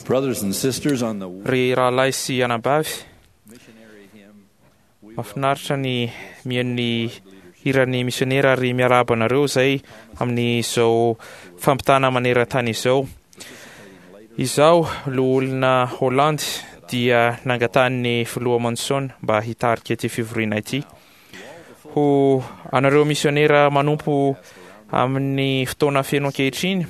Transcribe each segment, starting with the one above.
Brothers and sisters, on the Ry rahalahy sy anabavy, missionary hymn, we mahafinaritra ny mihaino ny hiran'ny misionera ary miarahaba anareo izay amin'izao fampitana maneran-tany izao. Izaho, loholona Holandy, dia nangatahan'ny filoha Monson mba hitarika ity fivoriana ity. Ho anareo misionera manompo amin'ny fotoana feno ankehitriny,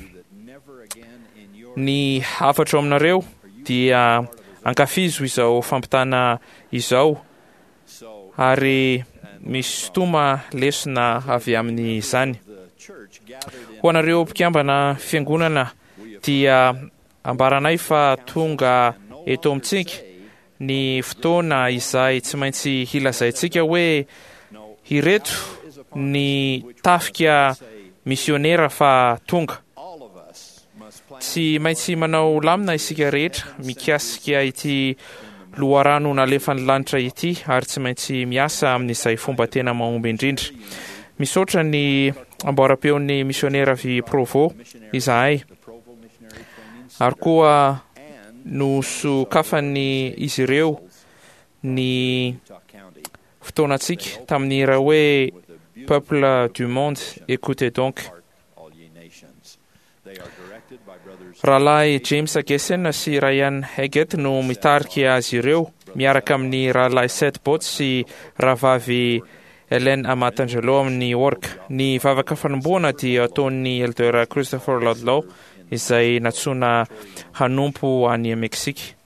never again in your ny hafatro aminareo dia ankafizo izao fampitana izao so ary misintoma lesona avy amin'izany. the church gathered in Ho anareo mpikambana fiangonana dia ambaranay fa tonga eto amintsika ny fotoana izay tsy maintsy hilazaintsika hoe ireto ny tafika misionera fa tonga. all of us must plan Tsy maintsy manao lamina isika rehetra mikasika ity loharano nalefan'ny lanitra ity ary tsy maintsy miasa amin'izay fomba tena mahomby indrindra. Misaotra ny amboaram-peon'ny misionera avy Provo izahay the Provo Missionary Training ary koa and nosokafan'ny izy ireo ny Utah County fotoanantsika tamin'ny hira hoe Peuple du monde, écoutez donc. Hark, all ye nations. They are directed by brothers Rahalahy James Gessen sy Ryan Haggett no mitarika azy ireo miaraka amin'ny rahalahy Seth Botts sy rahavavy Helen Amatangelo amin'ny orga. Ny vavaka fanombohana dia ataon'ny Elder Christopher Ludlow izay nantsoina hanompo any Meksika.